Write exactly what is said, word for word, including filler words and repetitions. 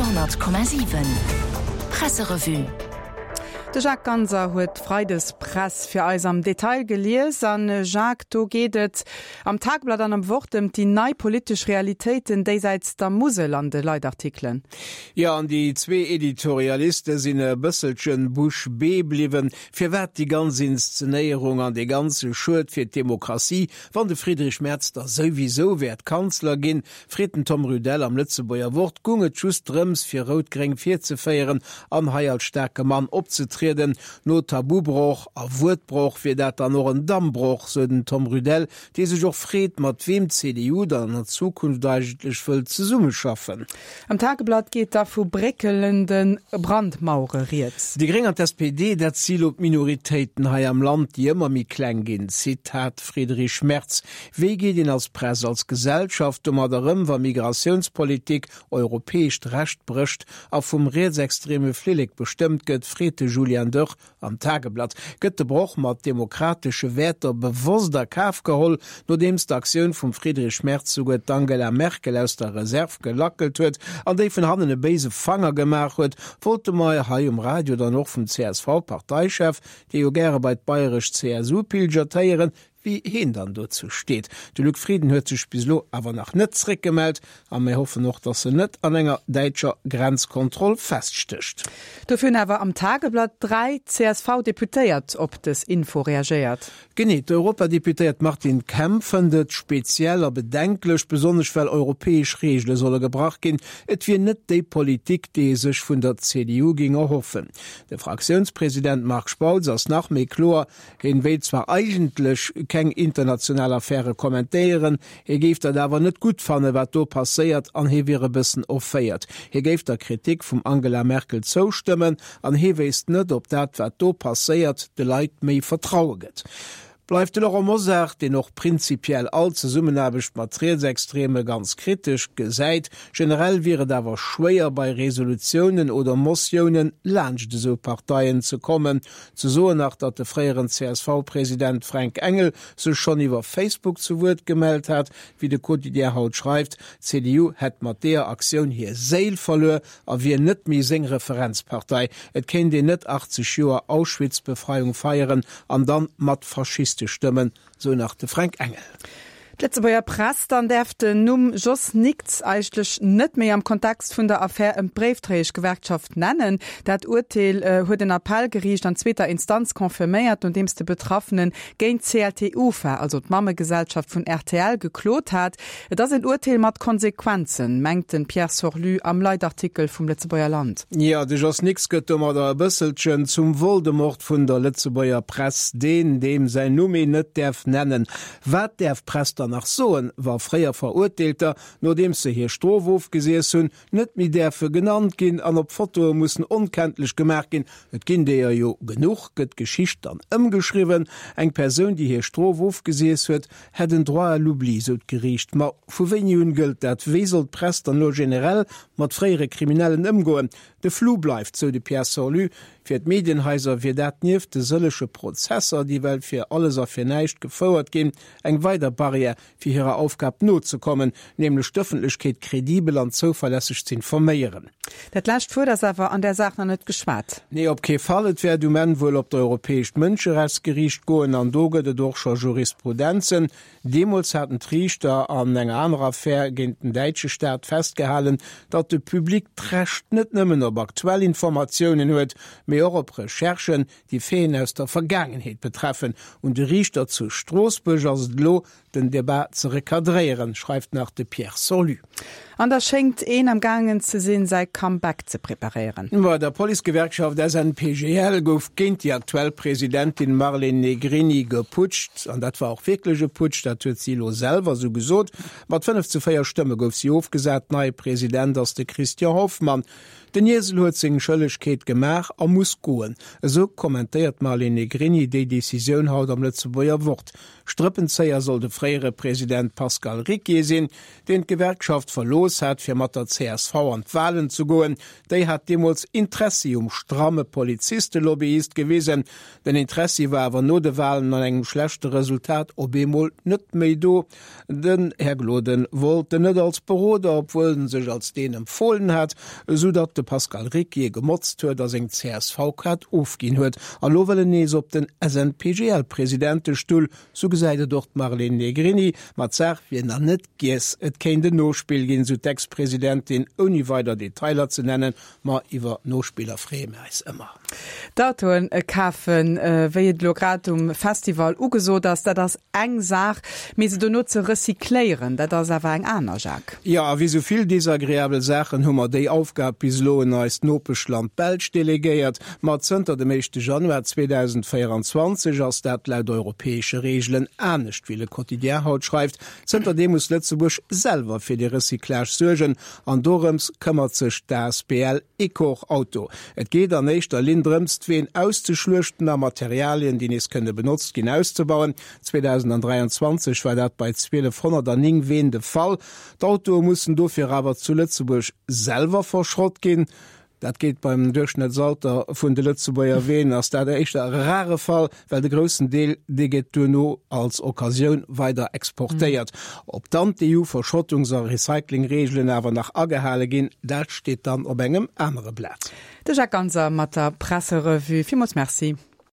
Radio honnert Komma siwen Presserevue. De Jacques Ganser huet d'Freidespress fir eis am Detail gelies. An Jacques, do geet et am Tagblatt an am Wort ëm déi nei politesch Realitéiten déisäits der Musel an de Leitartikelen. Jo, an déi zwee Editorialiste sinn e bësselchen bouche bée bliwwen. Firwat déi ganz Inszenéierung an dee ganze Schued fir d'Demokratie, wann de Friedrich Merz da souwisou wäert Kanzler ginn, freet den Tom Rudel am Lëtzebuerger Wort. Gung et just drëms, fir Rout-Gréng virzeféieren an hei als staarke Mann opzetrieden? No Tabubroch a Wuertbroch wier dat dann och en Dammbroch, sou den Tom Rudel, dee sech och freet, mat weem d'C D U dann an der Zukunft eigentlech wëllt zesummeschaffen. Am Tageblatt geet da vu bréckelende Brandmauere rieds. Déi Gréng an d'S P D, dat si lo d'Minoritéiten hei am Land, déi ëmmer méi kleng ginn. Zitat Friedrich Merz, Wéi geet een als Press, als Gesellschaft domadder ëm, wa Migratiounspolitik europäescht Recht brécht a vum rietsextreme Flillek bestëmmt gëtt, freet de Julian Dörr am Tageblatt. Gëtt de Broch mat demokratesche Wäerter bewosst a Kaf geholl, nodeems d'Aktioun vum Friedrich Merz souguer d'Angela Merkel aus der Reserv gelackelt huet an déi vun hannen e béise Fanger gemaach huet, wollte mer hei um Radio dann och vum C S V-Parteichef, dee jo gäre bei d'bayresch C S U pilgert, héieren, wéi hien dann dozou steet. De Luc Frieden huet sech bis elo awer nach net zréckgemellt a mir hoffen och, dass en net an enger däitscher Grenzkontroll feststécht. Dofir hunn awer am Tageblatt dräi C S V-Deputéiert op dës Info reagéiert. Genee, d'Europadeputéiert Martine Kemp fënnt et speziell a bedenklech, besonnesch well europäesch Reegele solle gebrach ginn. Et wier net déi Politik, déi ee sech vun der C D U géing erhoffen. De Fraktiounspresident Marc Spautz ass nach méi kloer, hien wéilt zwar eigentlech keng international Affäre kommentéieren, hie géif dat awer net gutt fannen, wat do passéiert an hie wier e bëssen erféiert. Hie géif der Kritik vum Angela Merkel zoustëmmen an hie wéisst net, ob dat, wat do passéiert, de Leit méi Vertraue gëtt. Bleift de Laurent Mosar, deen och prinzipiell all Zesummenaarbecht mat Rietsextreme ganz kritesch gesäit. Generell wier et awer schwéier bei Resolutiounen oder Motiounen laanscht esou Parteien ze kommen. Ze soen nach, datt de fréieren C S V-President Fränk Engel sech schonn iwwer Facebook zu Wuert gemellt hat, wéi de Quotidien haut schreift, d'C D U hätt mat deeër Aktioun hir Séil verluer a wier net méi seng Referenzpartei. Et kéint een net achtzeg Joer Auschwitz-Befreiung feieren an dann mat Faschiste stëmmen, sou nach de Fränk Engel. D'Lëtzebuerger Press dann däerf den Numm Jos Nickts eigentlech net méi am Kontext vun der Affär ëm d'Bréifdréieschgewerkschaft nennen. Dat Urteel huet en Appellgeriicht an zweeter Instanz confirméiert, nodeems de Betraffene géint C L T Ufa, also d'Mammegesellschaft vun R T L, geklot hat. Et ass en Urteel mat Konsequenzen, mengt de Pierre Sorlu am Leitartikel vum Lëtzebuerger Land. Jo, de Jos Nickts gëtt domadder e bësselchen zum Voldemort vun der Lëtzebuerger Press, deen, deem säin Numm een net däerf nennen. Wat däerf d'Press dann nach soen, wa fréier Verurteelter, nodeems se hir Strof ofgesiess hunn, net méi däerfe genannt ginn an op Fotoe mussen onkenntlech gemaach ginn? Et ginn deeër jo genuch. Gëtt d'Geschicht dann ëmgeschriwwen? Eng Persoun, déi hir Strof ofgesiess huet, hätt en Droit à l'oubli, sou d'Geriicht. Ma vu wéini un gëllt dat? Wéi soll d'Press dann elo generell mat fréiere Kriminellen ëmgoen? De Flou bleift, sou de Pierre Sorlu. Fir d'Medienhaiser wier dat nieft de sëllege Prozesser, déi well fir alles a fir näischt gefouert ginn, eng weider Barrière, fir hirer Aufgab nozekommen, nämlech d'Ëffentlechkeet kredibel an zouverlässeg ze informéieren. Dat lescht Wuert ass awer an der Saach nach net geschwat. Nee, op kee Fall. Et wäert um Enn wuel op d'Europäescht Mënscherechtsgeriicht goen an do gëtt et och scho Jurisprudenzen. Deemools haten d'Riichter an enger anerer Affär géint den däitsche Staat festgehalen, datt de Public d'Recht net nëmmen op aktuell Informatiounen huet, mee och op Recherchen, déi Faiten aus der Vergaangenheet betreffen. Un de Riichter zu Stroossbuerg ass et elo, den Debat ze recadréieren, schreift nach de Pierre Sorlu. An da schéngt een am gaangen ze sinn, säi Comeback ze preparéieren. Bei der Policegewerkschaft S N P G L gouf géint déi aktuell Presidentin Marlene Negrini geputscht. An dat war och wierklech e Putsch, dat huet si elo selwer sou gesot. Mat fënnef zu véier Stëmme gouf si ofgesat. Neie President ass de Christian Hoffmann. Den Iesel huet seng Schëllegkeet gemaach a muss muss goen. Esou kommentéiert d'Marlene Negrini déi Decisioun haut am Lëtzebuerger Wort. Strëppenzéier soll de fréiere President Pascal Ricquier sinn, deen d'Gewerkschaft verlooss hat, fir mat der csv an d'Walen ze goen. Déi hat deemools Interessi um stramme Polizistelobbyist gewisen. Den Interessi war awer no de Walen an engem schlechte Resultat op eemol net méi do. Den Här Gloden wollt en net als Beroder, obwuel en sech als deen empfohlen hat, esou datt de Pascal Ricquier gemotzt huet a seng CSV-Kaart ofginn huet. A lo wëll en nees op den SNPGL-Presidentestull, sou gesäit et och d'Marlene Negrini. Ma d'Saach wier nach net giess, et kéint en Nospill ginn, sou d'Ex-Presidentin, ouni weider Detailer ze nennen. Ma iwwer Nospiller freeë mir eis ëmmer. D'Autoen kafen, wéi et elo grad um Festival ugesot ass, dat ass eng Saach, mee se dono ze recycléieren, dat ass awer eng aner, Jacques. Jo, a wéi sou vill desagreabel Saachen hu mer déi Aufgab bis elo un eist Nopeschland Belsch delegéiert. Ma zënter dem éischte Januar zweedausendvéieranzwanzeg ass dat laut europäesche Reegelen anescht, wéi Le Quotidien haut schreift. Zënterdeem muss Lëtzebuerg selwer fir de Recyclage suergen an dorëms këmmert sech d'asbl Ecor-Auto. Et geet an éischter Linn drëms, d'Ween auszeschluechten a Materialien, déi nees kënne benotzt ginn, auszebauen. zweedausenddräianzwanzeg war dat bei zwielefhonnerterneng Ween de Fall. D'Autoe mussen dofir awer zu Lëtzebuerg selwer verschrott ginn. Dat geet beim Duerchschnëttsalter vun de Lëtzebuerger Ween ass dat éischter e rare Fall, well de groussen Deel, dee gëtt duerno als Occasioun weider exportéiert. Ob dann d'EU-Verschrottungs a Recyclingreegelen awer nach agehale ginn, dat steet dann op engem anere Blat. De Jacques Ganser mat der Presserevue. Villmools Merci.